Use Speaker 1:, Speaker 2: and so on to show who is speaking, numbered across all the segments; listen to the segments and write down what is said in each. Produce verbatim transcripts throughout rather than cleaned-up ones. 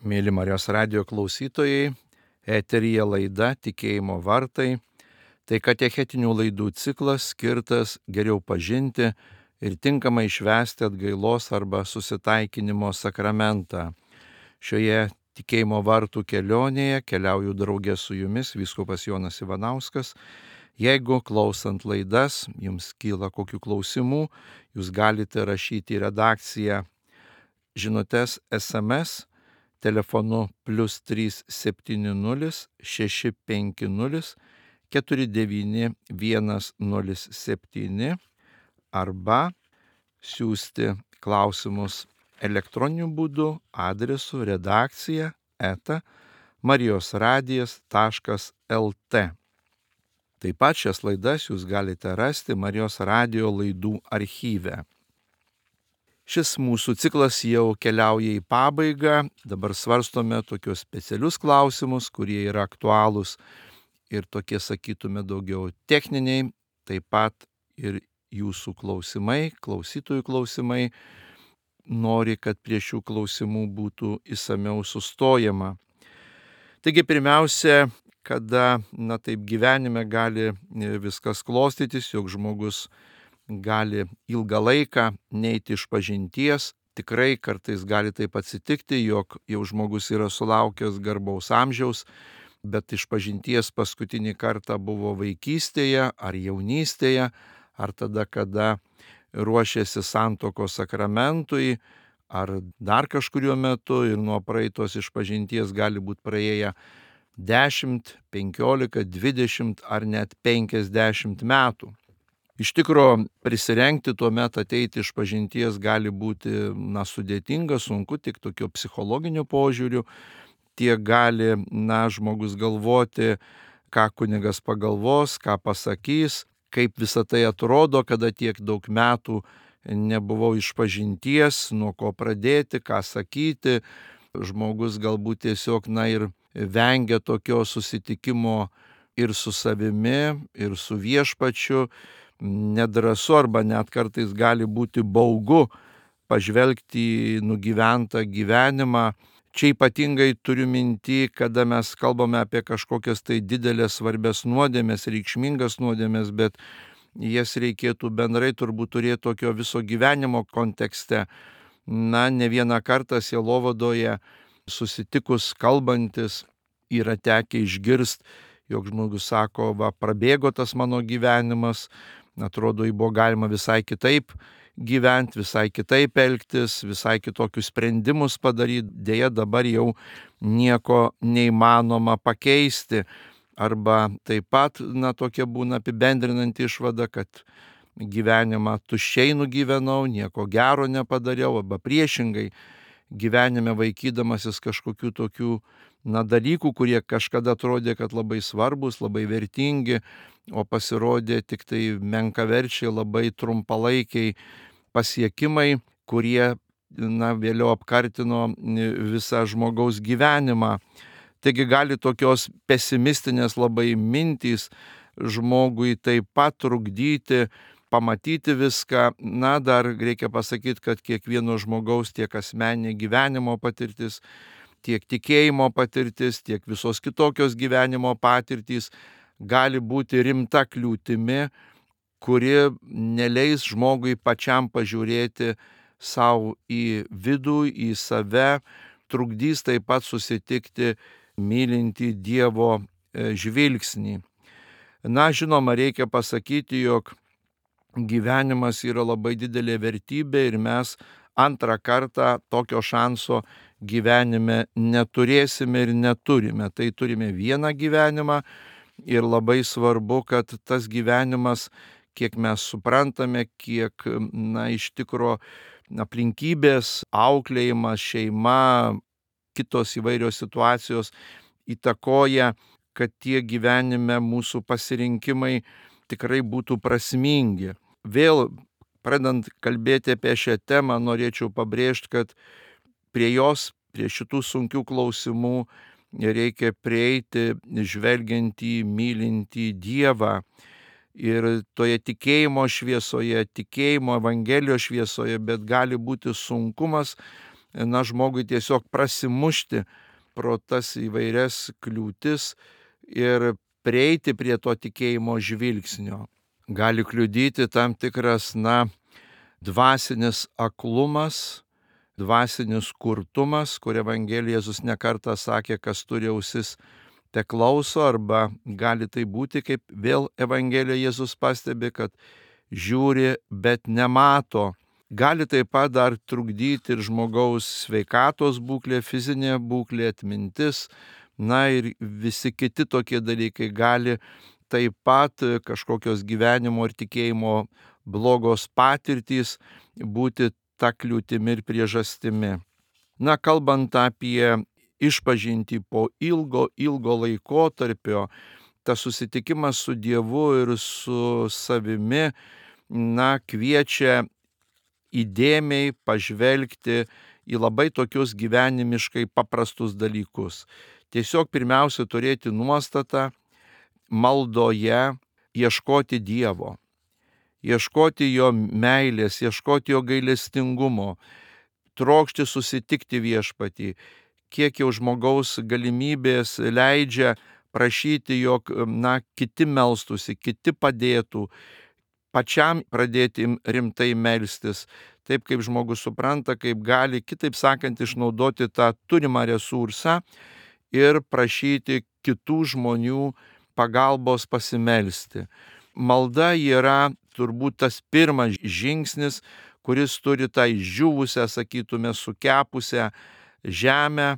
Speaker 1: Mėly Marijos radijo klausytojai, eteryje laida Tikėjimo vartai. Tai katechetinių laidų ciklas skirtas geriau pažinti ir tinkamai švęsti atgailos arba susitaikinimo sakramentą. Šioje Tikėjimo vartų kelionėje keliauju draugė su jumis, vyskupas Jonas Ivanauskas. Jeigu klausant laidas jums kyla kokių klausimų, jūs galite rašyti į redakciją žinutes es em es telefonu plius trys septyni nulis šeši penki nulis keturi devyni vienas nulis septyni arba siųsti klausimus elektroniniu būdu adresu redakcija eta marijosradijas taškas lt. Taip pat šias laidas jūs galite rasti Marijos radijo laidų archyve. Šis mūsų ciklas jau keliauja į pabaigą, dabar svarstome tokius specialius klausimus, kurie yra aktualūs ir tokie, sakytume, daugiau techniniai, taip pat ir jūsų klausimai, klausytojų klausimai, nori, kad prie šių klausimų būtų išsamiau sustojama. Taigi pirmiausia, kada, na taip gyvenime gali viskas klostytis, jog žmogus gali ilgą laiką neiti iš pažinties. Tikrai kartais gali taip atsitikti, jog jau žmogus yra sulaukęs garbaus amžiaus, bet iš pažinties paskutinį kartą buvo vaikystėje ar jaunystėje, ar tada, kada ruošėsi santuokos sakramentui, ar dar kažkuriuo metu, ir nuo praeitos išpažinties gali būti praėję dešimt, penkiolika, dvidešimt ar net penkiasdešimt metų. Iš tikro prisirengti tuomet ateiti iš pažinties gali būti na, sudėtinga, sunku tik tokio psichologiniu požiūriu. Tiek gali na, žmogus galvoti, ką kunigas pagalvos, ką pasakys, kaip visa tai atrodo, kada tiek daug metų nebuvau iš pažinties, nuo ko pradėti, ką sakyti. Žmogus galbūt tiesiog na, ir vengia tokio susitikimo ir su savimi, ir su viešpačiu. Nedrąsu arba net kartais gali būti baugu pažvelgti į nugyventą gyvenimą. Čia ypatingai turiu minty, kada mes kalbame apie kažkokias tai didelės svarbės nuodėmės, reikšmingas nuodėmės, bet jas reikėtų bendrai turbūt turėti tokio viso gyvenimo kontekste. Na, ne vieną kartą sielovadoje susitikus, kalbantis, yra tekę išgirsti, jog žmogus sako, va, prabėgo tas mano gyvenimas, atrodo, jį buvo galima visai kitaip gyventi, visai kitaip elgtis, visai kitokius sprendimus padaryti, dėja dabar jau nieko neįmanoma pakeisti. Arba taip pat, na, tokia būna apibendrinanti išvada, kad gyvenimą tuščiai nugyvenau, nieko gero nepadariau, arba priešingai, gyvenime vaikydamasis kažkokių tokių na, dalykų, kurie kažkada atrodė, kad labai svarbus, labai vertingi, o pasirodė tik tai menkaverčiai, labai trumpalaikiai pasiekimai, kurie na, vėliau apkartino visą žmogaus gyvenimą. Taigi gali tokios pesimistinės labai mintys žmogui taip pat trukdyti pamatyti viską. Na, dar reikia pasakyti, kad kiekvieno žmogaus tiek asmeninė gyvenimo patirtis, tiek tikėjimo patirtis, tiek visos kitokios gyvenimo patirtys gali būti rimta kliūtimi, kuri neleis žmogui pačiam pažiūrėti savo į vidų, į save, trukdys taip pat susitikti mylintį Dievo žvilgsnį. Na, žinoma, reikia pasakyti, jog gyvenimas yra labai didelė vertybė ir mes antrą kartą tokio šanso gyvenime neturėsime ir neturime. Tai turime vieną gyvenimą ir labai svarbu, kad tas gyvenimas, kiek mes suprantame, kiek na, iš tikro aplinkybės, auklėjimas, šeima, kitos įvairios situacijos įtakoja, kad tie gyvenime mūsų pasirinkimai tikrai būtų prasmingi. Vėl, pradant kalbėti apie šią temą, norėčiau pabrėžti, kad prie jos, prie šitų sunkių klausimų reikia prieiti žvelgiant į mylintį Dievą. Ir toje tikėjimo šviesoje, tikėjimo Evangelijos šviesoje, bet gali būti sunkumas na, žmogui tiesiog prasimušti pro tas įvairias kliūtis ir prieiti prie to tikėjimo žvilgsnio. Gali kliudyti tam tikras, na, dvasinis aklumas, dvasinis kurtumas, kur Evangelija Jėzus nekartą sakė, kas turi ausis, te klauso, arba gali tai būti, kaip vėl Evangelija Jėzus pastebi, kad žiūri, bet nemato. Gali taip pat dar trukdyti ir žmogaus sveikatos būklė, fizinė būklė, atmintis, na ir visi kiti tokie dalykai. Gali taip pat kažkokios gyvenimo ir tikėjimo blogos patirtys būti ta kliūtimi ir priežastimi. Na, kalbant apie išpažintį po ilgo, ilgo laikotarpio, tas susitikimas su Dievu ir su savimi, na, kviečia įdėmiai pažvelgti į labai tokius gyvenimiškai paprastus dalykus. Tiesiog pirmiausia turėti nuostatą maldoje ieškoti Dievo, ieškoti jo meilės, ieškoti jo gailestingumo, trokšti susitikti viešpatį, kiek jau žmogaus galimybės leidžia prašyti, jog, na, kiti melstųsi, kiti padėtų, pačiam pradėti rimtai melstis, taip kaip žmogus supranta, kaip gali, kitaip sakant, išnaudoti tą turimą resursą ir prašyti kitų žmonių pagalbos pasimelsti. Malda yra turbūt tas pirmas žingsnis, kuris turi tą išdžiūvusią, sakytume, sukepusią žemę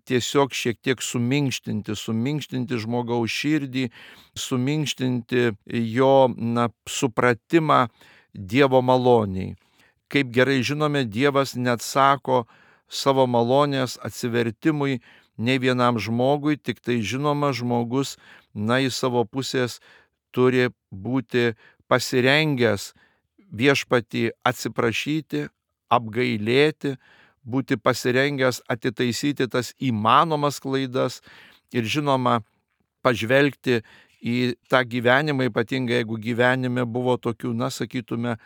Speaker 1: tiesiog šiek tiek suminkštinti, suminkštinti žmogaus širdį, suminkštinti jo, na, supratimą Dievo maloniai. Kaip gerai žinome, Dievas neatsako savo malonės atsivertimui nei vienam žmogui, tik tai žinoma žmogus, na, į savo pusės turi būti pasirengęs viešpatį atsiprašyti, apgailėti, būti pasirengęs atitaisyti tas įmanomas klaidas ir, žinoma, pažvelgti į tą gyvenimą, ypatingai jeigu gyvenime buvo tokių, na, sakytume,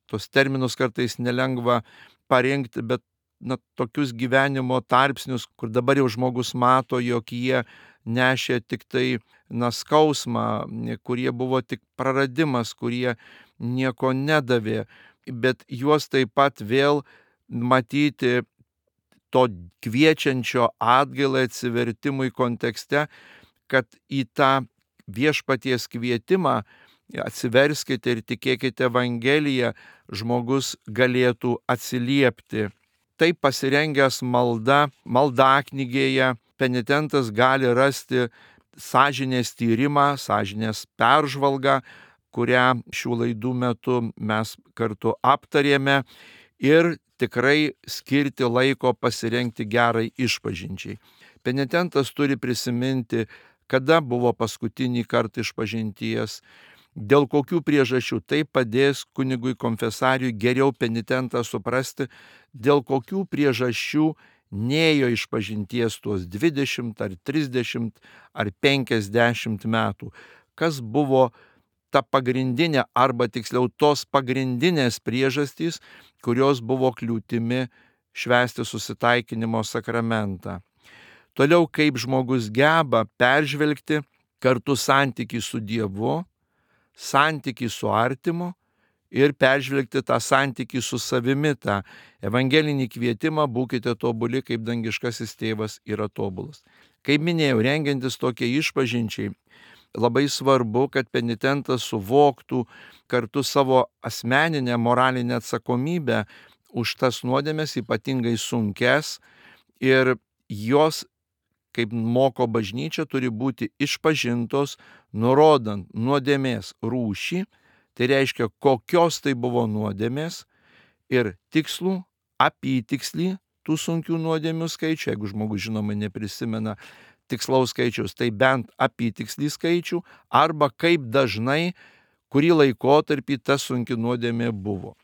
Speaker 1: tos terminus kartais nelengva parinkti, bet, na, tokius gyvenimo tarpsnius, kur dabar jau žmogus mato, jog jie nešė tik tai, na, skausmą, kurie buvo tik praradimas, kurie nieko nedavė, bet juos taip pat vėl matyti to kviečiančio atgailai atsivertimui kontekste, kad į tą viešpaties kvietimą atsiverskite ir tikėkite Evangeliją žmogus galėtų atsiliepti. Taip pasirengęs malda, maldaknygėje penitentas gali rasti sąžinės tyrimą, sąžinės peržvalgą, kurią šių laidų metu mes kartu aptarėme, ir tikrai skirti laiko pasirengti gerai išpažinčiai. Penitentas turi prisiminti, kada buvo paskutinį kartą išpažinties, dėl kokių priežasčių. Tai padės kunigui konfesariui geriau penitentą suprasti, dėl kokių priežasčių nėjo išpažinties tuos dvidešimt ar trisdešimt ar penkiasdešimt metų. Kas buvo ta pagrindinė, arba tiksliau tos pagrindinės priežastys, kurios buvo kliūtimi švęsti susitaikinimo sakramentą. Toliau, kaip žmogus geba peržvelgti kartu santykį su Dievu, santykį su artimu ir peržvelgti tą santykį su savimi, tą evangelinį kvietimą būkite tobuli, kaip dangiškasis tėvas yra tobulas. Kaip minėjau, rengiantis tokie išpažinčiai, labai svarbu, kad penitentas suvoktų kartu savo asmeninę moralinę atsakomybę už tas nuodėmes, ypatingai sunkes, ir jos, kaip moko bažnyčia, turi būti išpažintos, nurodant nuodėmės rūšį, tai reiškia, kokios tai buvo nuodėmės, ir tikslų, apytikslį tų sunkių nuodėmių skaičių, jeigu žmogus, žinoma, neprisimena tikslaus skaičiaus, tai bent apytikslį skaičių, arba kaip dažnai, kurį laikotarpį ta sunki nuodėmė buvo.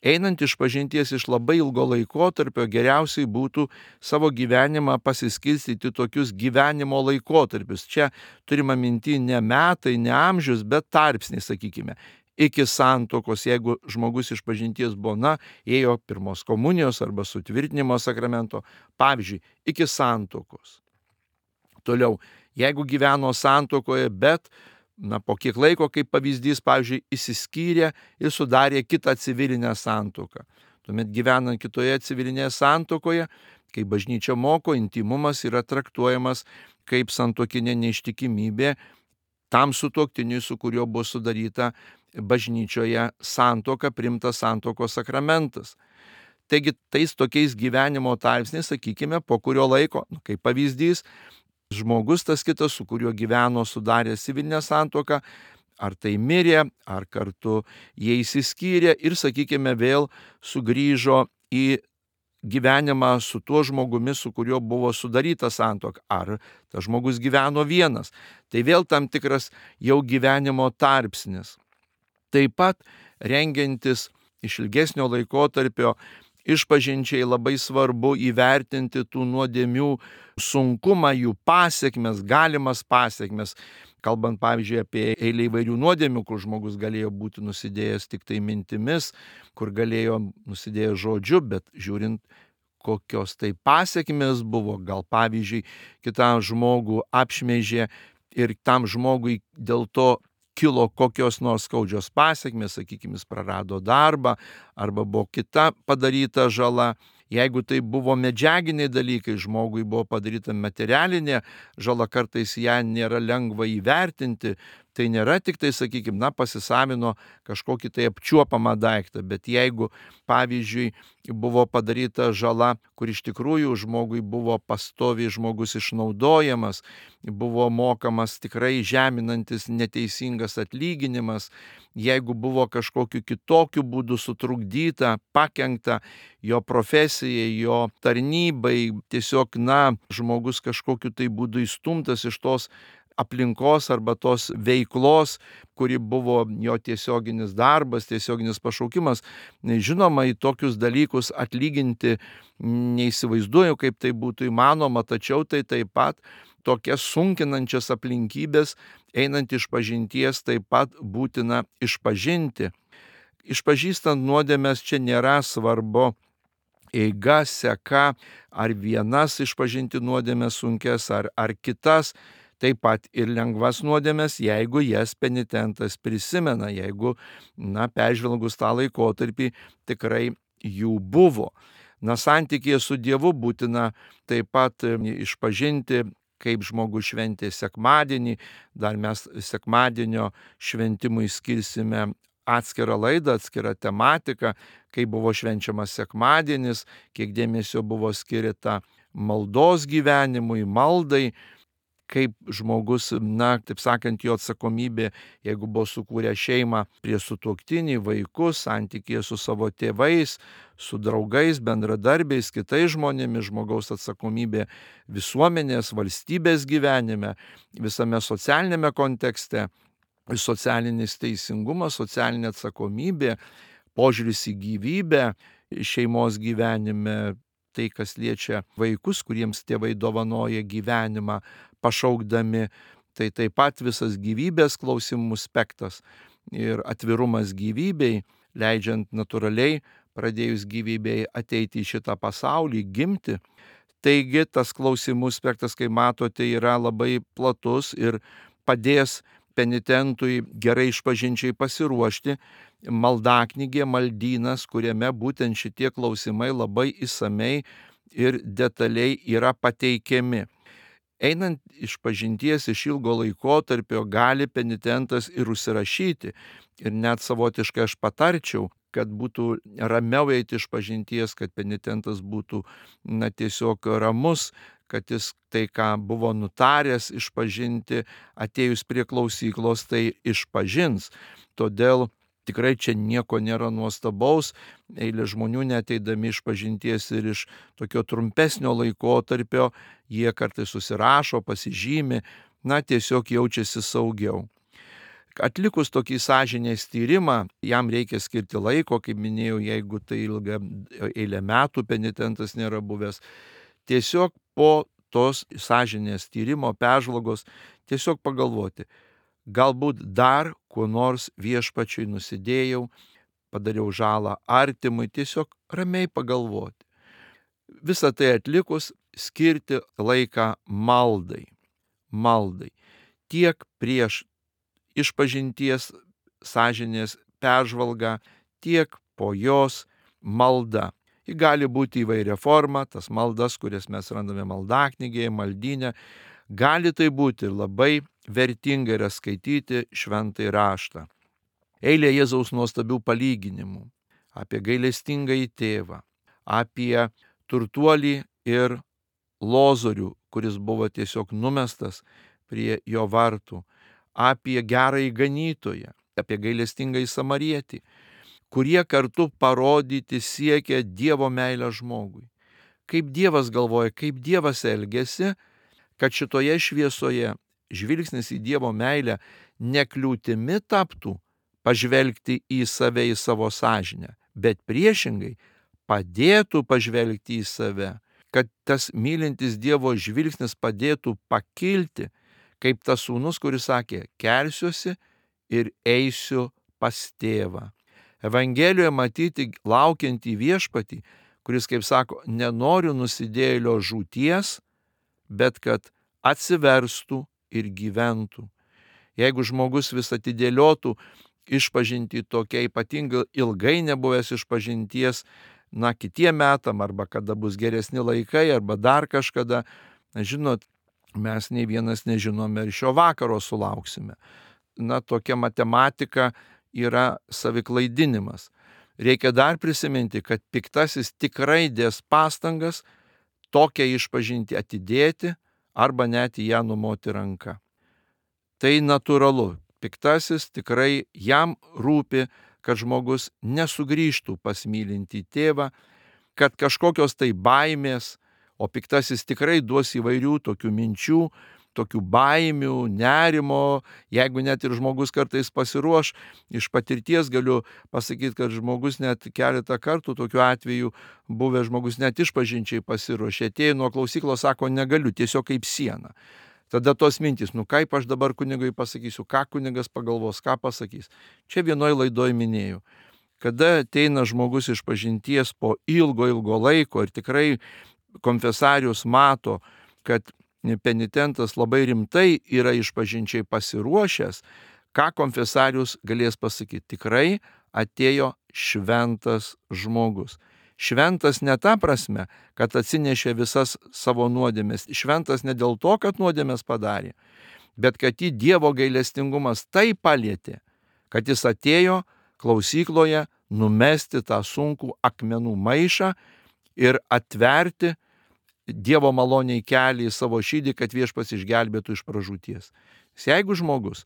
Speaker 1: Einant išpažinties iš labai ilgo laikotarpio, geriausiai būtų savo gyvenimą pasiskirstyti tokius gyvenimo laikotarpius. Čia turima minty ne metai, ne amžius, bet tarpsniai, sakykime. iki santuokos, jeigu žmogus išpažinties buvo, na, ėjo pirmos komunijos arba sutvirtinimo sakramento, pavyzdžiui, iki santuokos. Toliau, jeigu gyveno santuokoje, bet, na, po kiek laiko, kaip pavyzdys, pavyzdžiui, išsiskyrė ir sudarė kitą civilinę santuoką. Tuomet gyvenant kitoje civilinėje santuokoje, kai bažnyčia moko, intymumas yra traktuojamas kaip santuokinė neištikimybė tam sutuoktiniui, su kuriuo buvo sudaryta bažnyčioje santuoka, priimtas santuokos sakramentas. Taigi tais tokiais gyvenimo tarpsniais, sakykime, po kurio laiko, nu, kaip pavyzdys, žmogus tas kitas, su kuriuo gyveno, sudarė civilinę santuoką, ar tai mirė, ar kartu jie išsiskyrė ir, sakykime, vėl sugrįžo į gyvenimą su tuo žmogumi, su kuriuo buvo sudaryta santuoka, ar tas žmogus gyveno vienas. Tai vėl tam tikras jau gyvenimo tarpsnis. Taip pat rengiantis iš ilgesnio laikotarpio išpažinčiai labai svarbu įvertinti tų nuodėmių sunkumą, jų pasiekmes, galimas pasiekmes. Kalbant, pavyzdžiui, apie eilę įvairių nuodėmių, kur žmogus galėjo būti nusidėjęs tik tai mintimis, kur galėjo nusidėjęs žodžiu, bet žiūrint, kokios tai pasiekmes buvo, gal pavyzdžiui, kitam žmogų apšmeižė ir tam žmogui dėl to kilo kokios nors skaudžios pasiekmes, sakykime, jis prarado darbą arba buvo kita padaryta žala. Jeigu tai buvo medžiaginiai dalykai, žmogui buvo padaryta materialinė žala, kartais ją nėra lengva įvertinti, tai nėra tik tai, sakykime, na, pasisavino kažkokį tai apčiuopamą daiktą, bet jeigu, pavyzdžiui, buvo padaryta žala, kur iš tikrųjų žmogui buvo pastoviai žmogus išnaudojamas, buvo mokamas tikrai žeminantis neteisingas atlyginimas, jeigu buvo kažkokiu kitokiu būdu sutrukdyta, pakenkta jo profesijai, jo tarnybai, tiesiog, na, žmogus kažkokiu tai būdu įstumtas iš tos aplinkos arba tos veiklos, kuri buvo jo tiesioginis darbas, tiesioginis pašaukimas. Žinoma, į tokius dalykus atlyginti neįsivaizduoju, kaip tai būtų įmanoma, tačiau tai taip pat tokias sunkinančias aplinkybės, einant išpažinties, taip pat būtina išpažinti. Išpažįstant nuodėmes čia nėra svarbu eiga, seka, ar vienas išpažinti nuodėmes sunkes, ar, ar kitas. Taip pat ir lengvas nuodėmes, jeigu jas penitentas prisimena, jeigu, na, peržvelgus tą laikotarpį, tikrai jų buvo. Na, santykėje su Dievu būtina taip pat išpažinti, kaip žmogus šventė sekmadienį. Dar mes sekmadienio šventimui skirsime atskirą laidą, atskirą tematiką, kaip buvo švenčiamas sekmadienis, kiek dėmesio buvo skirta maldos gyvenimui, maldai, kaip žmogus, na, taip sakant, jo atsakomybė, jeigu buvo sukūrę šeimą, prie sutuoktinį, vaikus, santykėje su savo tėvais, su draugais, bendradarbiais, kitais žmonėmis, žmogaus atsakomybė visuomenės, valstybės gyvenime, visame socialinėme kontekste, socialinis teisingumas, socialinė atsakomybė, požiūris į gyvybę šeimos gyvenime, tai, kas liečia vaikus, kuriems tėvai dovanoja gyvenimą, pašaukdami, tai taip pat visas gyvybės klausimų spektras ir atvirumas gyvybei, leidžiant natūraliai pradėjus gyvybei ateiti į šitą pasaulį, gimti. Taigi tas klausimų spektras, kai matote, yra labai platus ir padės penitentui gerai išpažinčiai pasiruošti. Maldaknygė, maldynas, kuriame būtent šitie klausimai labai išsamei ir detaliai yra pateikiami. Einant išpažinties iš ilgo laikotarpio gali penitentas ir užsirašyti. Ir net savotiškai aš patarčiau, kad būtų ramiau eiti išpažinties, kad penitentas būtų, na, tiesiog ramus, kad jis tai, ką buvo nutaręs išpažinti, atėjus prie klausyklos, tai išpažins. Todėl tikrai čia nieko nėra nuostabaus, eilė žmonių neteidami išpažinties ir iš tokio trumpesnio laikotarpio, jie kartais susirašo, pasižymi, na, tiesiog jaučiasi saugiau. Atlikus tokį sąžinės tyrimą, jam reikia skirti laiko, kaip minėjau, jeigu tai ilga eilė metų penitentas nėra buvęs. Tiesiog po tos sąžinės tyrimo, peržvalgos, tiesiog pagalvoti, galbūt dar kuo nors viešpačiui nusidėjau, padariau žalą artimui, tiesiog ramiai pagalvoti. Visą tai atlikus skirti laiką maldai. Maldai. Tiek prieš išpažinties sąžinės peržvalgą, tiek po jos malda. Ji gali būti įvairia forma, tas maldas, kurias mes randame maldaknygėje, maldyne. Gali tai būti ir labai vertinga yra skaityti šventąjį raštą. Eilė Jėzaus nuostabių palyginimų apie gailestingąjį tėvą, apie turtuolį ir Lozorių, kuris buvo tiesiog numestas prie jo vartų, apie gerąjį ganytoją, apie gailestingąjį samarietį, kurie kartu parodyti siekia Dievo meilę žmogui. Kaip Dievas galvoja, kaip Dievas elgiasi, kad šitoje šviesoje žvilgsnis į Dievo meilę nekliūtimi taptų pažvelgti į save, į savo sąžinę, bet priešingai padėtų pažvelgti į save, kad tas mylintis Dievo žvilgsnis padėtų pakilti, kaip tas sūnus, kuris sakė, kelsiuosi ir eisiu pas tėvą. Evangelijoje matyti laukiantį viešpatį, kuris, kaip sako, nenoriu nusidėjėlio žūties, bet kad atsiverstų ir gyventų. Jeigu žmogus vis atidėliotų išpažinti tokia ypatingai ilgai nebuvęs išpažinties, na, kitiem metam, arba kada bus geresni laikai, arba dar kažkada, žinot, mes nei vienas nežinome ir šio vakaro sulauksime. Na, tokia matematika yra saviklaidinimas. Reikia dar prisiminti, kad piktasis tikrai dės pastangas tokią išpažinti atidėti arba net į ją numoti ranką. Tai natūralu. Piktasis tikrai jam rūpi, kad žmogus nesugrįžtų pas mylintį tėvą, kad kažkokios tai baimės, o piktasis tikrai duos įvairių tokių minčių, tokių baimių, nerimo, jeigu net ir žmogus kartais pasiruoš, iš patirties galiu pasakyti, kad žmogus net keletą kartų tokiu atveju buvę žmogus net išpažinčiai pasiruošė, atėjo nuo klausyklos, sako, negaliu, tiesiog kaip siena. Tada tos mintys, nu kaip aš dabar kunigui pasakysiu, ką kunigas pagalvos, ką pasakys. Čia vienoj laidoj minėjau. Kada ateina žmogus iš pažinties po ilgo, ilgo laiko ir tikrai konfesarius mato, kad penitentas labai rimtai yra išpažinčiai pasiruošęs, ką konfesarius galės pasakyti. Tikrai atėjo šventas žmogus. Šventas ne ta prasme, kad atsinešė visas savo nuodėmes. Šventas ne dėl to, kad nuodėmes padarė, bet kad jį Dievo gailestingumas taip palietė, kad jis atėjo klausykloje numesti tą sunkų akmenų maišą ir atverti Dievo maloniai kelią į savo širdį, kad viešpats išgelbėtų iš pražūties. Jeigu žmogus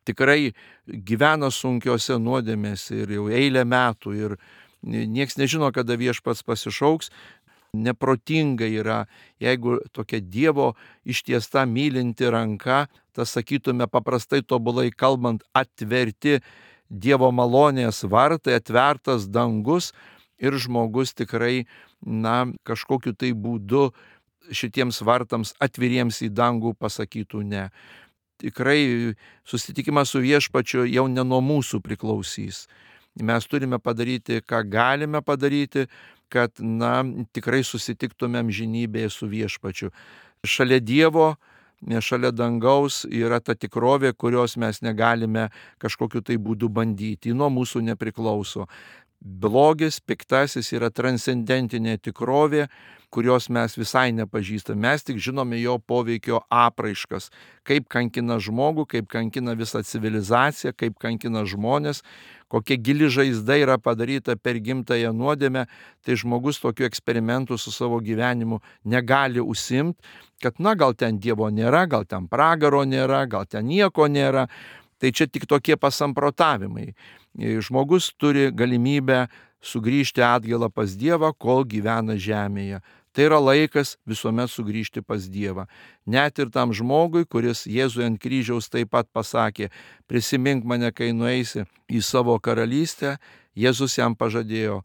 Speaker 1: tikrai gyvena sunkiose nuodėmėse ir jau eilę metų ir nieks nežino, kada viešpats pasišauks, neprotinga yra, jeigu tokia Dievo ištiesta mylinti ranka, tas sakytume paprastai tobulai kalbant, atverti Dievo malonės vartai, atvertas dangus ir žmogus tikrai, na, kažkokiu tai būdu šitiems vartams atviriems į dangų pasakytų ne. Tikrai susitikimas su viešpačiu jau ne nuo mūsų priklausys. Mes turime padaryti, ką galime padaryti, kad, na, tikrai susitiktumėm žinybėje su viešpačiu. Šalia Dievo, šalia dangaus yra ta tikrovė, kurios mes negalime kažkokiu tai būdu bandyti. Nuo mūsų nepriklauso. Blogis, piktasis yra transcendentinė tikrovė, kurios mes visai nepažįstame. Mes tik žinome jo poveikio apraiškas, kaip kankina žmogų, kaip kankina visą civilizaciją, kaip kankina žmonės, kokia gili žaizda yra padaryta per gimtąją nuodėmę, tai žmogus tokių eksperimentų su savo gyvenimu negali užsiimti, kad, na, gal ten Dievo nėra, gal ten pragaro nėra, gal ten nieko nėra. Tai čia tik tokie pasamprotavimai. Žmogus turi galimybę sugrįžti atgailą pas Dievą, kol gyvena žemėje. Tai yra laikas visuomet sugrįžti pas Dievą. Net ir tam žmogui, kuris Jėzui ant kryžiaus taip pat pasakė, prisimink mane, kai nueisi į savo karalystę, Jėzus jam pažadėjo,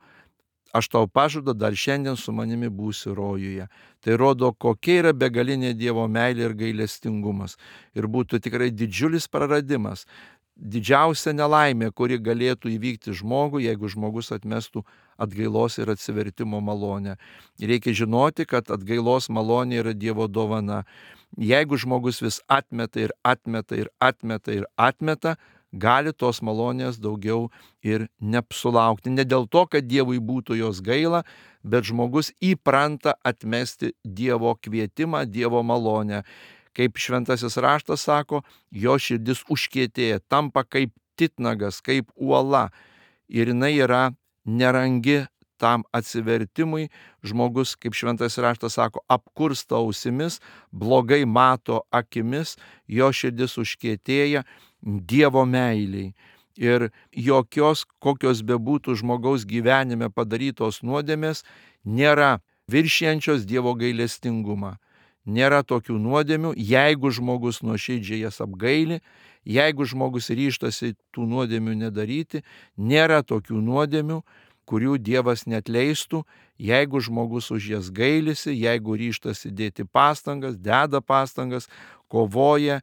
Speaker 1: aš tau pažadu, dar šiandien su manimi būsi rojuje. Tai rodo, kokia yra begalinė Dievo meilė ir gailestingumas. Ir būtų tikrai didžiulis praradimas, didžiausia nelaimė, kuri galėtų įvykti žmogui, jeigu žmogus atmestų atgailos ir atsivertimo malonę. Reikia žinoti, kad atgailos malonė yra Dievo dovana. Jeigu žmogus vis atmeta ir atmeta ir atmeta ir atmeta, gali tos malonės daugiau ir neapsulaukti. Ne dėl to, kad Dievui būtų jos gaila, bet žmogus įpranta atmesti Dievo kvietimą, Dievo malonę. Kaip šventasis raštas sako, jo širdis užkietėja, tampa kaip titnagas, kaip uola. Ir jinai yra nerangi tam atsivertimui. Žmogus, kaip šventasis raštas sako, apkursta ausimis, blogai mato akimis, jo širdis užkietėja Dievo meiliai. Ir jokios, kokios bebūtų žmogaus gyvenime padarytos nuodėmės, nėra viršijančios Dievo gailestingumą. Nėra tokių nuodėmių, jeigu žmogus nuoširdžiai jas apgaili, jeigu žmogus ryžtasi tų nuodėmių nedaryti, nėra tokių nuodėmių, kurių Dievas neatleistų, jeigu žmogus už jas gailisi, jeigu ryžtasi dėti pastangas, deda pastangas, kovoja,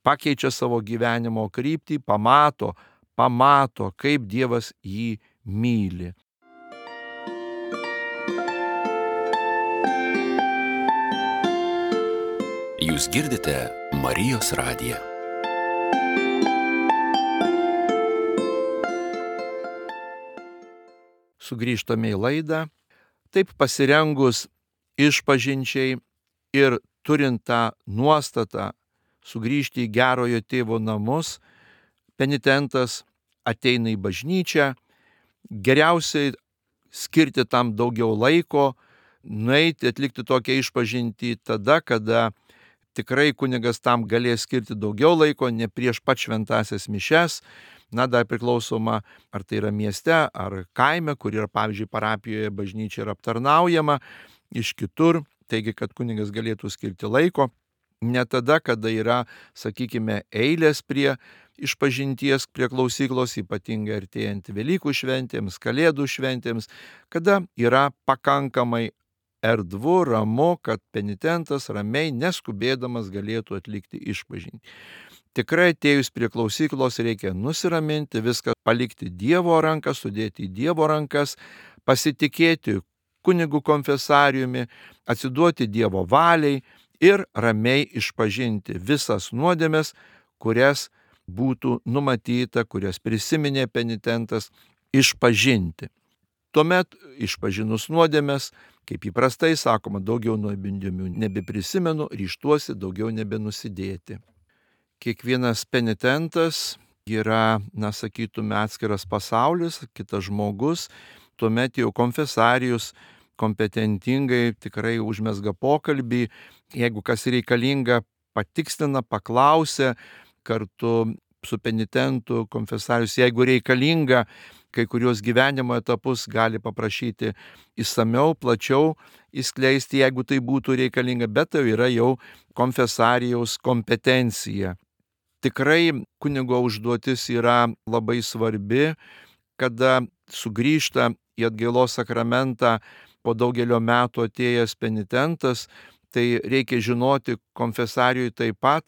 Speaker 1: pakeičia savo gyvenimo kryptį, pamato, pamato, kaip Dievas jį myli.
Speaker 2: Jūs girdite Marijos radiją.
Speaker 1: Sugrįžtame į laidą. Taip pasirengus išpažinčiai ir turint tą nuostatą sugrįžti į gerojo tėvo namus, penitentas ateina į bažnyčią, geriausiai skirti tam daugiau laiko, nueiti atlikti tokią išpažintį tada, kada tikrai kunigas tam galės skirti daugiau laiko, ne prieš pat šventąsias mišias, na dar priklausoma, ar tai yra mieste, ar kaime, kur yra, pavyzdžiui, parapijoje bažnyčia yra aptarnaujama iš kitur, taigi, kad kunigas galėtų skirti laiko, ne tada, kada yra, sakykime, eilės prie išpažinties, prie klausyklos, ypatingai artėjant Velykų šventėms, Kalėdų šventėms, kada yra pakankamai erdvu, ramu, kad penitentas ramiai, neskubėdamas galėtų atlikti išpažintį. Tikrai atėjus prie klausyklos reikia nusiraminti, viską palikti Dievo ranką, sudėti į Dievo rankas, pasitikėti kunigų konfesariumi, atsiduoti Dievo valiai ir ramiai išpažinti visas nuodėmes, kurias būtų numatyta, kurias prisiminė penitentas išpažinti. Tuomet išpažinus nuodėmes, kaip įprastai sakoma, daugiau nuodėmių nebeprisimenu, ryžtuosi daugiau nebenusidėti. Kiekvienas penitentas yra, na, sakytume, atskiras pasaulis, kitas žmogus, tuomet jau konfesarijus kompetentingai tikrai užmesga pokalbį, jeigu kas reikalinga, patikstina, paklausia, kartu su penitentu konfesarijus, jeigu reikalinga, kai kurios gyvenimo etapus gali paprašyti išsamiau, plačiau įskleisti, jeigu tai būtų reikalinga, bet tai yra jau konfesarijaus kompetencija. Tikrai kunigo užduotis yra labai svarbi, kada sugrįžta į atgailos sakramentą po daugelio metų atėjęs penitentas, tai reikia žinoti konfesarijui taip pat,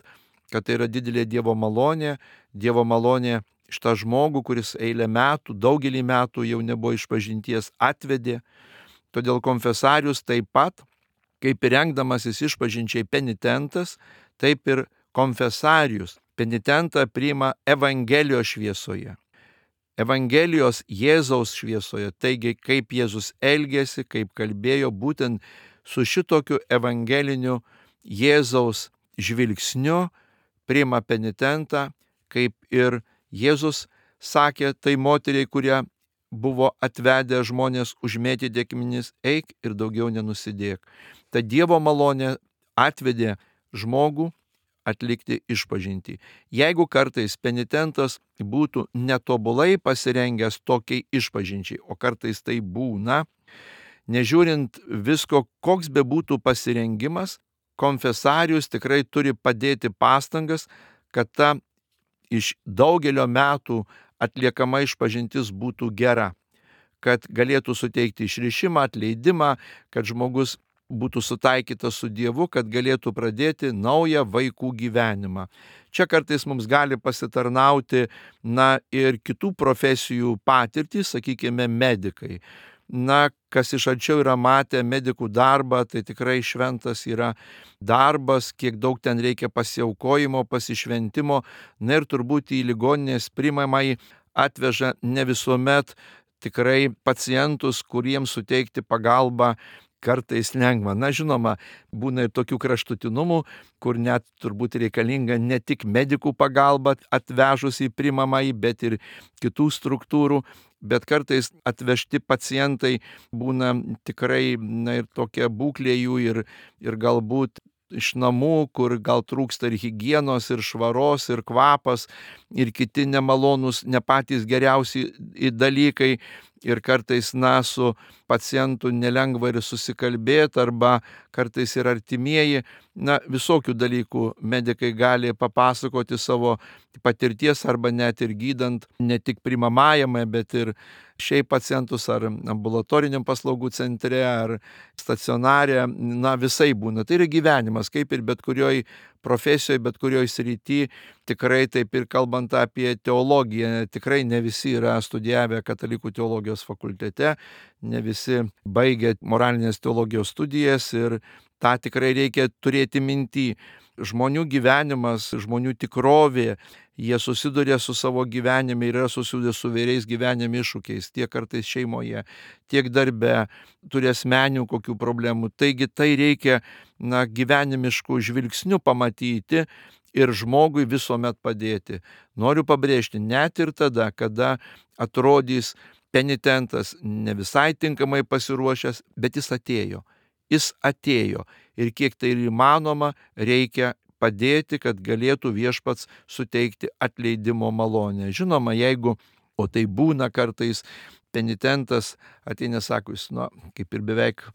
Speaker 1: kad tai yra didelė Dievo malonė, Dievo malonė šitą žmogų, kuris eilę metų, daugelį metų jau nebuvo išpažinties, atvedė. Todėl konfesarius taip pat, kaip ir rengdamasis išpažinčiai penitentas, taip ir konfesarius penitentą priima Evangelijos šviesoje. Evangelijos Jėzaus šviesoje, taigi kaip Jėzus elgėsi, kaip kalbėjo, būtent su šitokiu evangeliniu Jėzaus žvilgsniu priima penitentą, kaip ir Jėzus sakė tai moteriai, kurie buvo atvedę žmonės užmėtyti akmenis, eik ir daugiau nenusidėk. Ta Dievo malonė atvedė žmogų atlikti išpažintį. Jeigu kartais penitentas būtų netobulai pasirengęs tokiai išpažinčiai, o kartais tai būna, nežiūrint visko, koks bebūtų pasirengimas, konfesarius tikrai turi padėti pastangas, kad ta iš daugelio metų atliekama išpažintis būtų gera, kad galėtų suteikti išrišimą, atleidimą, kad žmogus būtų sutaikytas su Dievu, kad galėtų pradėti naują vaikų gyvenimą. Čia kartais mums gali pasitarnauti, na, ir kitų profesijų patirtys, sakykime, medikai. Na, kas iš arčiau yra matę medikų darbą, tai tikrai šventas yra darbas, kiek daug ten reikia pasiaukojimo, pasišventimo, na ir turbūt į ligoninės priimamai atveža ne visuomet tikrai pacientus, kuriems suteikti pagalbą kartais lengva. Na, žinoma, būna ir tokių kraštutinumų, kur net turbūt reikalinga ne tik medikų pagalba atvežus į priimamąjį, bet ir kitų struktūrų. Bet kartais atvežti pacientai būna tikrai, na, ir tokia būklė jų ir, ir galbūt iš namų, kur gal trūksta ir higienos, ir švaros, ir kvapas, ir kiti nemalonūs, ne patys geriausi dalykai. Ir kartais, na, su pacientu nelengva ir susikalbėti, arba kartais ir artimieji, na, visokių dalykų medikai gali papasakoti savo patirties, arba net ir gydant ne tik priimamajame, bet ir šiaip pacientus ar ambulatoriniam paslaugų centre, ar stacionare, na, visai būna. Tai yra gyvenimas, kaip ir bet kurioj profesijoje, bet kurioj srity, tikrai taip ir kalbant apie teologiją, tikrai ne visi yra studijavę katalikų teologijos fakultete, ne visi baigė moralinės teologijos studijas ir tą tikrai reikia turėti minty. Žmonių gyvenimas, žmonių tikrovė, jie susiduria su savo gyvenime ir yra susiduria su vairiais gyvenimo iššūkiais, tiek kartais šeimoje, tiek darbe, turi asmeninių kokių problemų. Taigi tai reikia, na, gyvenimiškų žvilgsnių pamatyti ir žmogui visuomet padėti. Noriu pabrėžti, net ir tada, kada atrodys penitentas ne visai tinkamai pasiruošęs, bet jis atėjo. Jis atėjo ir kiek tai ir įmanoma, reikia padėti, kad galėtų viešpats suteikti atleidimo malonę. Žinoma, jeigu, o tai būna kartais, penitentas ateina, sako, jis, na, kaip ir beveik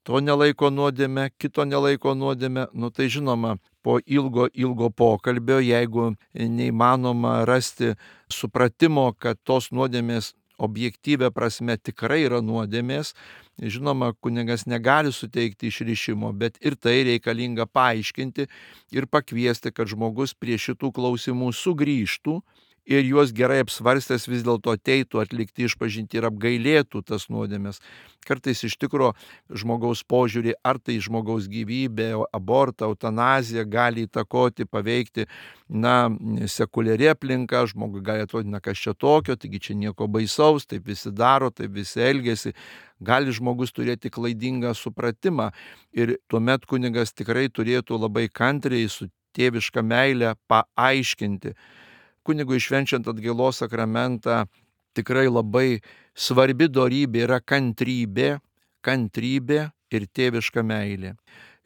Speaker 1: to nelaiko nuodėmę, kito nelaiko nuodėmę, nu tai žinoma, po ilgo, ilgo pokalbio, jeigu neįmanoma rasti supratimo, kad tos nuodėmės objektyvia prasme tikrai yra nuodėmės, žinoma, kunigas negali suteikti išrišimo, bet ir tai reikalinga paaiškinti ir pakviesti, kad žmogus prie šitų klausimų sugrįžtų ir juos gerai apsvarstęs vis dėlto ateitų atlikti išpažintį ir apgailėtų tas nuodėmės. Kartais iš tikro žmogaus požiūrį, ar tai žmogaus gyvybė, abortą, eutanaziją gali įtakoti, paveikti, na, sekuliari aplinka, žmogui gali atrodyti, na, kas čia tokio, taigi čia nieko baisaus, taip visi daro, taip visi elgiasi. Gali žmogus turėti klaidingą supratimą ir tuomet kunigas tikrai turėtų labai kantriai su tėviška meile paaiškinti. Kunigui švenčiant atgailos sakramentą tikrai labai svarbi dorybė yra kantrybė, kantrybė ir tėviška meilė.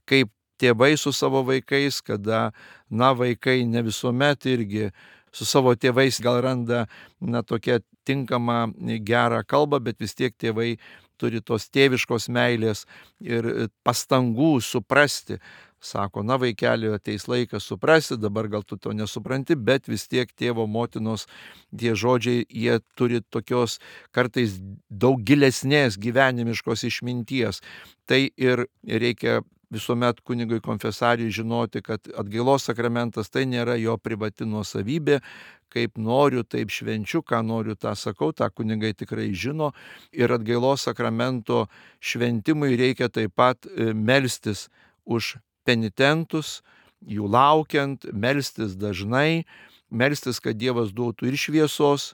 Speaker 1: Kaip tėvai su savo vaikais, kada, na, vaikai ne visuomet irgi su savo tėvais gal randa, na, tokią tinkamą gerą kalbą, bet vis tiek tėvai turi tos tėviškos meilės ir pastangų suprasti. Sako, na, vaikeli, ateis laikas suprasti, dabar gal tu to nesupranti, bet vis tiek tėvo motinos tie žodžiai, jie turi tokios kartais daug gilesnės gyvenimiškos išminties. Tai ir reikia visuomet kunigui konfesarijui žinoti, kad atgailos sakramentas tai nėra jo privati nuosavybė, kaip noriu, taip švenčiu, ką noriu, tą sakau, tą kunigai tikrai žino. Ir atgailos sakramento šventimui reikia taip pat melstis už penitentus, jų laukiant, melstis dažnai, melstis, kad Dievas duotų ir šviesos,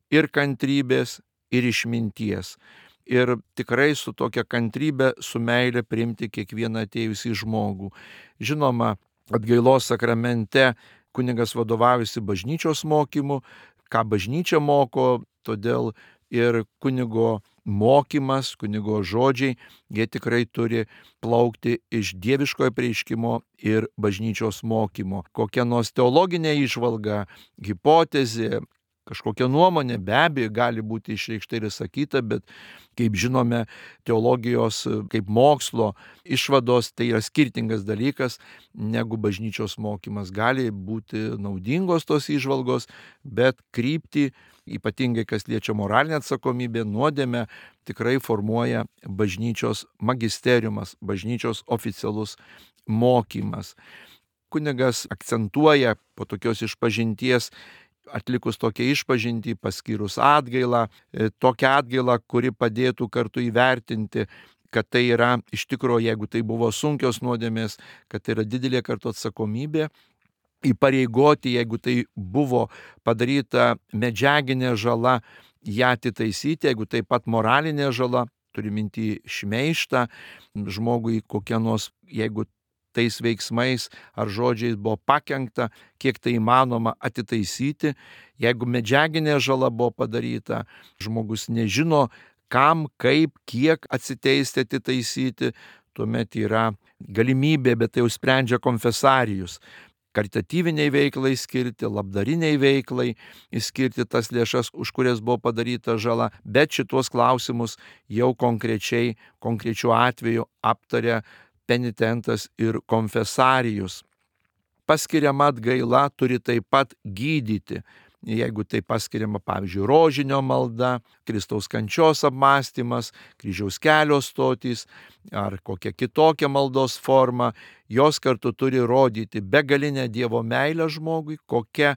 Speaker 1: ir kantrybės, ir išminties. Ir tikrai su tokia kantrybė, su meile priimti kiekvieną atėjusį žmogų. Žinoma, atgailos sakramente kunigas vadovaujasi bažnyčios mokymu, ką bažnyčia moko, todėl ir kunigo mokymas, kunigo žodžiai, jie tikrai turi plaukti iš dieviškojo apreiškimo ir bažnyčios mokymo. Kokia nors teologinė įžvalga, hipotezė, kažkokia nuomonė be abejo gali būti išreikšta ir sakyta, bet kaip žinome, teologijos kaip mokslo išvados tai yra skirtingas dalykas negu bažnyčios mokymas. Gali būti naudingos tos įžvalgos, bet kryptį ypatingai kas liečia moralinę atsakomybę, nuodėmę tikrai formuoja bažnyčios magisteriumas, bažnyčios oficialus mokymas. Kunigas akcentuoja po tokios išpažinties, atlikus tokią išpažintį, paskyrus atgailą, tokią atgailą, kuri padėtų kartu įvertinti, kad tai yra iš tikrųjų, jeigu tai buvo sunkios nuodėmės, kad tai yra didelė kartu atsakomybė, įpareigoti, jeigu tai buvo padaryta medžiaginė žala, ją atitaisyti, jeigu taip pat moralinė žala, turi minti šmeižtą, žmogui kokia nors, jeigu tais veiksmais ar žodžiais buvo pakenkta, kiek tai įmanoma atitaisyti. Jeigu medžiaginė žala buvo padaryta, žmogus nežino, kam, kaip, kiek atsiteisti, atitaisyti, tuomet yra galimybė, bet tai jau sprendžia konfesarijus. Karitatyviniai veiklai skirti, labdariniai veiklai skirti tas lėšas, už kurias buvo padaryta žala, bet šitos klausimus jau konkrečiai, konkrečiu atveju aptaria penitentas ir konfesarijus. Paskiriama atgaila turi taip pat gydyti. Jeigu tai paskiriama, pavyzdžiui, rožinio malda, Kristaus kančios apmąstymas, kryžiaus kelio stotys ar kokia kitokia maldos forma, jos kartu turi rodyti begalinę Dievo meilę žmogui, kokia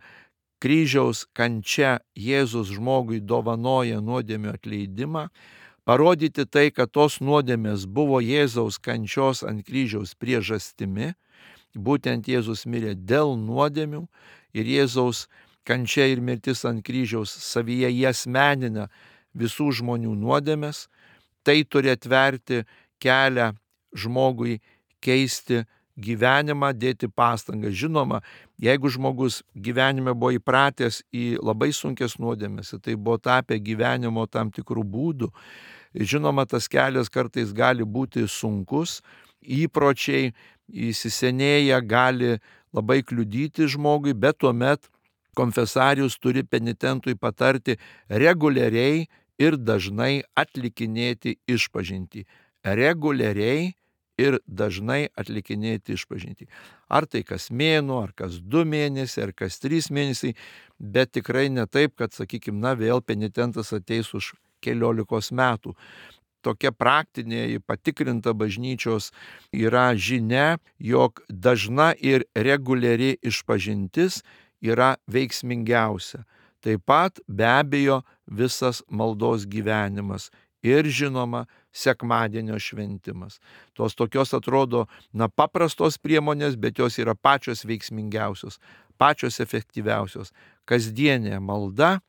Speaker 1: kryžiaus kančia Jėzus žmogui dovanoja nuodėmių atleidimą, parodyti tai, kad tos nuodėmės buvo Jėzaus kančios ant kryžiaus priežastimi, būtent Jėzus mirė dėl nuodėmių ir Jėzaus kančia ir mirtis ant kryžiaus savyje jie asmenina visų žmonių nuodėmės, tai turi atverti kelią žmogui keisti gyvenimą, dėti pastangas. Žinoma, jeigu žmogus gyvenime buvo įpratęs į labai sunkias nuodėmės, tai buvo tapę gyvenimo tam tikrų būdų, žinoma, tas kelias kartais gali būti sunkus, įpročiai įsisenėję gali labai kliudyti žmogui, bet tuomet konfesarijus turi penitentui patarti reguliariai ir dažnai atlikinėti išpažintį. Reguliariai ir dažnai atlikinėti išpažintį. Ar tai kas mėnuo, ar kas du mėnesiai, ar kas trys mėnesiai, bet tikrai ne taip, kad, sakykime, na vėl penitentas ateis už keliolikos metų. Tokia praktinė patikrinta bažnyčios yra žinia, jog dažna ir reguliari išpažintis yra veiksmingiausia. Taip pat be abejo visas maldos gyvenimas ir žinoma sekmadienio šventimas. Tos tokios atrodo na paprastos priemonės, bet jos yra pačios veiksmingiausios, pačios efektyviausios. Kasdienė malda,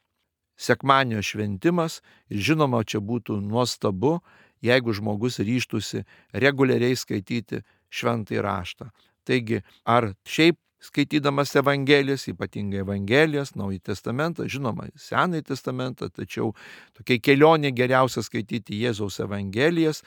Speaker 1: sekmadienio šventimas ir žinoma čia būtų nuostabu, jeigu žmogus ryžtųsi reguliariai skaityti šventąjį raštą. Taigi, ar šiaip skaitydamas Evangelijas, ypatingai Evangelijas, Naująjį testamentą, žinoma, Senąjį testamentą, tačiau tokia kelionė geriausia skaityti Jėzaus Evangelijas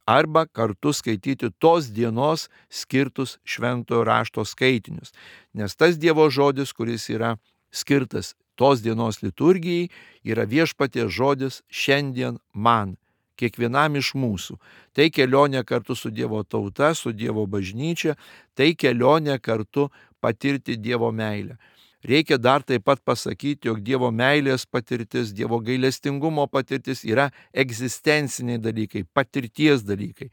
Speaker 1: arba kartu skaityti tos dienos skirtus šventojo rašto skaitinius. Nes tas Dievo žodis, kuris yra skirtas tos dienos liturgijai, yra viešpaties žodis šiandien man, kiekvienam iš mūsų. Tai kelionė kartu su Dievo tauta, su Dievo bažnyčia, tai kelionė kartu patirti Dievo meilę. Reikia dar taip pat pasakyti, jog Dievo meilės patirtis, Dievo gailestingumo patirtis yra egzistenciniai dalykai, patirties dalykai.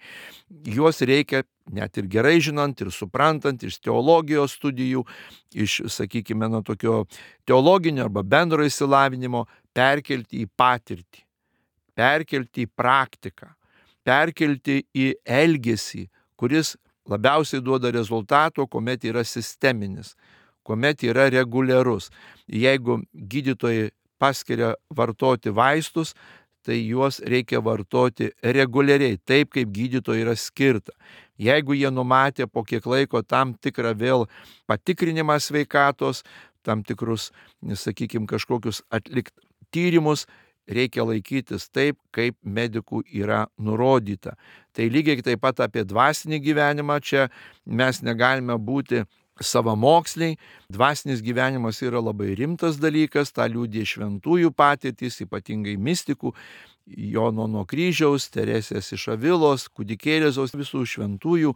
Speaker 1: Juos reikia net ir gerai žinant ir suprantant iš teologijos studijų, iš, sakykime, nuo tokio teologinio arba bendro išsilavinimo perkelti į patirtį, perkelti į praktiką, perkelti į elgesį, kuris labiausiai duoda rezultato, kuomet yra sisteminis, kuomet yra reguliarus. Jeigu gydytojai paskiria vartoti vaistus, tai juos reikia vartoti reguliariai, taip kaip gydytojai yra skirta. Jeigu jie numatė po kiek laiko tam tikrą vėl patikrinimą sveikatos, tam tikrus, sakykime, kažkokius atlikt tyrimus, reikia laikytis taip, kaip medikų yra nurodyta. Tai lygiai taip pat apie dvasinį gyvenimą čia mes negalime būti savamoksliai. Dvasinis gyvenimas yra labai rimtas dalykas, tą liudija šventųjų patirtys, ypatingai mistikų, Jono nuo kryžiaus, Teresės iš Avilos, kūdikėlės visų šventųjų,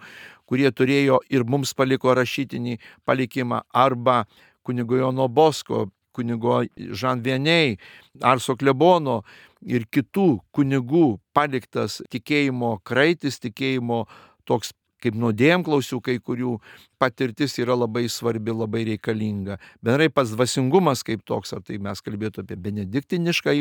Speaker 1: kurie turėjo ir mums paliko rašytinį palikimą, arba kunigo Jono Bosko, kunigo Žan Vieniai, Arso klebono ir kitų kunigų paliktas tikėjimo kraitis, tikėjimo toks kaip nuodėmklausių kai kurių patirtis yra labai svarbi, labai reikalinga. Bendrai pats dvasingumas kaip toks, ar tai mes kalbėtume apie benediktinišką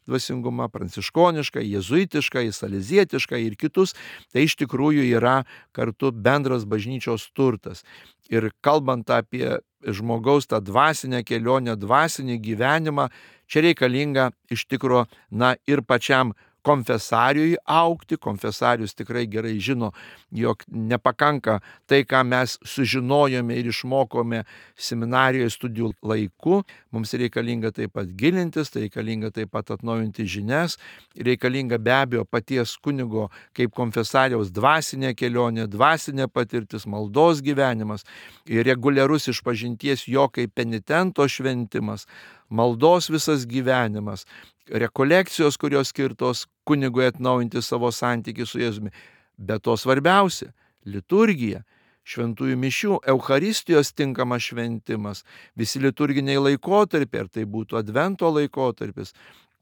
Speaker 1: dvasingumą, pranciškonišką, jėzuitišką, salezietišką ir kitus, tai iš tikrųjų yra kartu bendras bažnyčios turtas. Ir kalbant apie žmogaus tą dvasinę kelionę, dvasinį gyvenimą, čia reikalinga iš tikro, na ir pačiam konfesariui aukti. Konfesarius tikrai gerai žino, jog nepakanka tai, ką mes sužinojome ir išmokome seminarijoje studijų laiku. Mums reikalinga taip pat gilintis, tai reikalinga taip pat atnaujinti žinias, reikalinga be abejo paties kunigo kaip konfesariaus dvasinė kelionė, dvasinė patirtis, maldos gyvenimas ir reguliarus išpažinties jo kaip penitento šventimas, maldos visas gyvenimas, rekolekcijos, kurios skirtos kunigui atnaujinti savo santykį su Jėzumi. Bet to svarbiausia - liturgija, šventųjų mišių, Eucharistijos tinkamas šventimas, visi liturginiai laikotarpiai, ar tai būtų Advento laikotarpis,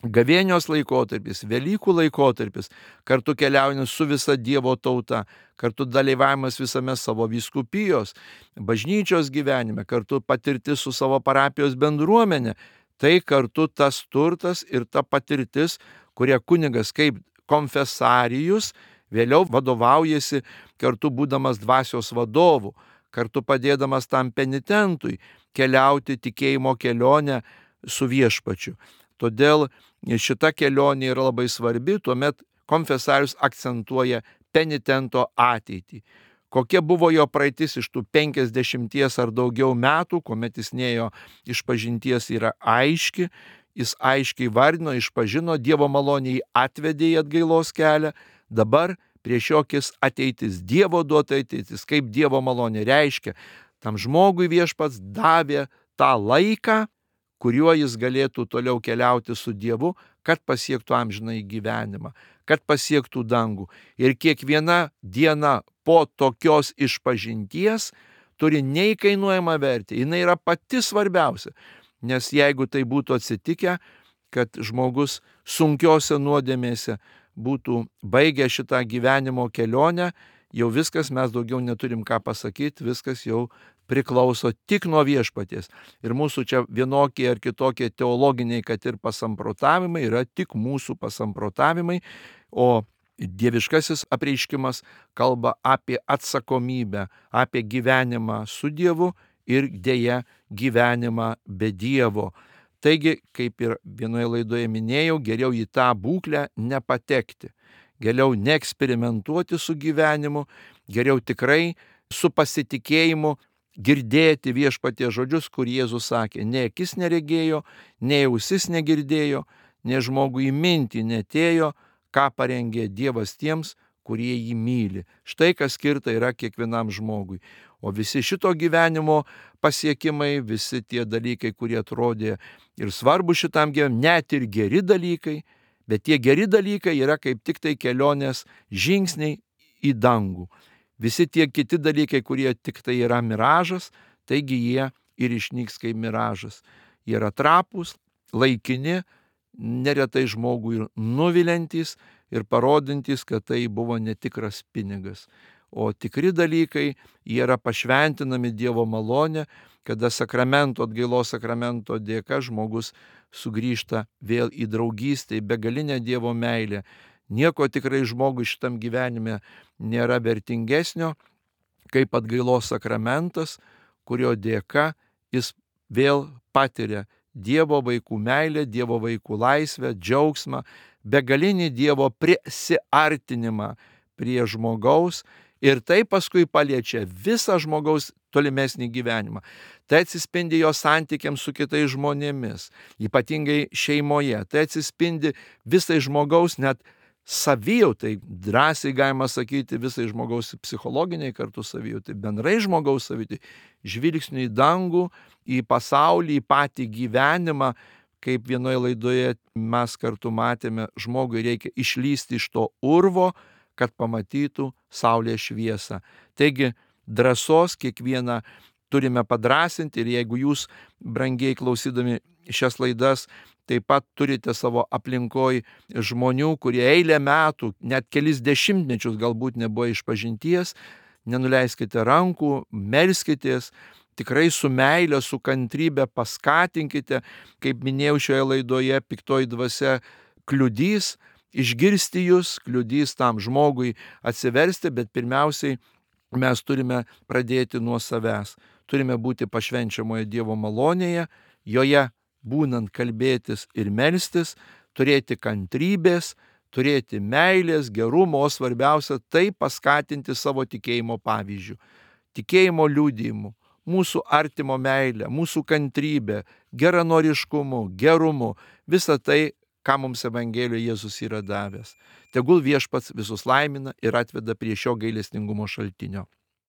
Speaker 1: Gavėnios laikotarpis, Velykų laikotarpis, kartu keliaujant su visa Dievo tauta, kartu dalyvavimas visame savo vyskupijos, bažnyčios gyvenime, kartu patirtis su savo parapijos bendruomenė. Tai kartu tas turtas ir ta patirtis, kurie kunigas kaip konfesarijus vėliau vadovaujasi kartu būdamas dvasios vadovu, kartu padėdamas tam penitentui keliauti tikėjimo kelionę su viešpačiu. Todėl šita kelionė yra labai svarbi, tuomet konfesarius akcentuoja penitento ateitį. Kokia buvo jo praeitis iš tų penkiasdešimties ar daugiau metų, kuomet jis nėjo išpažinties, yra aiški, jis aiškiai vardino, išpažino, Dievo malonė jį atvedė į atgailos kelią, dabar prieš jokis ateitis, Dievo duota ateitis, kaip Dievo malonė reiškia, tam žmogui viešpats davė tą laiką, kuriuo jis galėtų toliau keliauti su Dievu, kad pasiektų amžinąjį gyvenimą, kad pasiektų dangų. Ir kiekviena diena po tokios išpažinties turi neįkainuojamą vertę. Jis yra pati svarbiausia. Nes jeigu tai būtų atsitikę, kad žmogus sunkiose nuodėmėse būtų baigę šitą gyvenimo kelionę, jau viskas, mes daugiau neturim ką pasakyti, viskas jau priklauso tik nuo viešpaties. Ir mūsų čia vienokie ar kitokie teologiniai, kad ir pasamprotavimai, yra tik mūsų pasamprotavimai, o dieviškasis apreiškimas kalba apie atsakomybę, apie gyvenimą su Dievu ir dėja gyvenimą be Dievo. Taigi, kaip ir vienoje laidoje minėjau, geriau į tą būklę nepatekti, geriau neeksperimentuoti su gyvenimu, geriau tikrai su pasitikėjimu girdėti viešpaties žodžius, kur Jėzus sakė, ne akis neregėjo, ne ausis negirdėjo, ne žmogui į mintį netėjo, ką parengė Dievas tiems, kurie jį myli. Štai kas skirta yra kiekvienam žmogui. O visi šito gyvenimo pasiekimai, visi tie dalykai, kurie atrodė ir svarbu šitam gyvenimui, net ir geri dalykai, bet tie geri dalykai yra kaip tik tai kelionės žingsniai į dangų. Visi tie kiti dalykai, kurie tik tai yra miražas, taigi jie ir išnyks kaip miražas. Jie yra trapūs, laikini, neretai žmogui nuviliantys ir parodantys, kad tai buvo netikras pinigas. O tikri dalykai, jie yra pašventinami Dievo malonė, kada sakramento, atgailos sakramento dėka žmogus sugrįžta vėl į draugystę, į begalinę Dievo meilę. Nieko tikrai žmogui šitam gyvenime nėra vertingesnio, kaip atgailos sakramentas, kurio dėka jis vėl patiria Dievo vaikų meilę, Dievo vaikų laisvę, džiaugsmą, begalinį Dievo prisiartinimą prie žmogaus ir tai paskui paliečia visą žmogaus tolimesnį gyvenimą. Tai atsispindi jo santykiams su kitais žmonėmis, ypatingai šeimoje. Tai atsispindi visai žmogaus net savijautai, drąsiai galima sakyti, visai žmogaus psichologiniai kartu savijautai, bendrai žmogaus savijautai, žvilgsnių į dangų, į pasaulį, į patį gyvenimą, kaip vienoje laidoje mes kartu matėme, žmogui reikia išlysti iš to urvo, kad pamatytų saulės šviesą. Taigi drąsos kiekvieną turime padrąsinti ir jeigu jūs, brangiai klausydami šias laidas taip pat turite savo aplinkoj žmonių, kurie eilę metų, net kelis dešimtmečius galbūt nebuvo išpažinties, nenuleiskite rankų, melskitės, tikrai su meile, su kantrybė paskatinkite, kaip minėjau šioje laidoje, piktoji dvasia kliudys išgirsti jūs, kliudys tam žmogui atsiversti, bet pirmiausiai mes turime pradėti nuo savęs. Turime būti pašvenčiamoje Dievo malonėje, joje būnant kalbėtis ir melstis, turėti kantrybės, turėti meilės, gerumo, o svarbiausia tai paskatinti savo tikėjimo pavyzdžių, tikėjimo liudijimu, mūsų artimo meilę, mūsų kantrybę, geranoriškumu, gerumu, visą tai, ką mums Evangelijoje Jėzus yra davęs. Tegul viešpats visus laimina ir atveda prie šio gailestingumo šaltinio.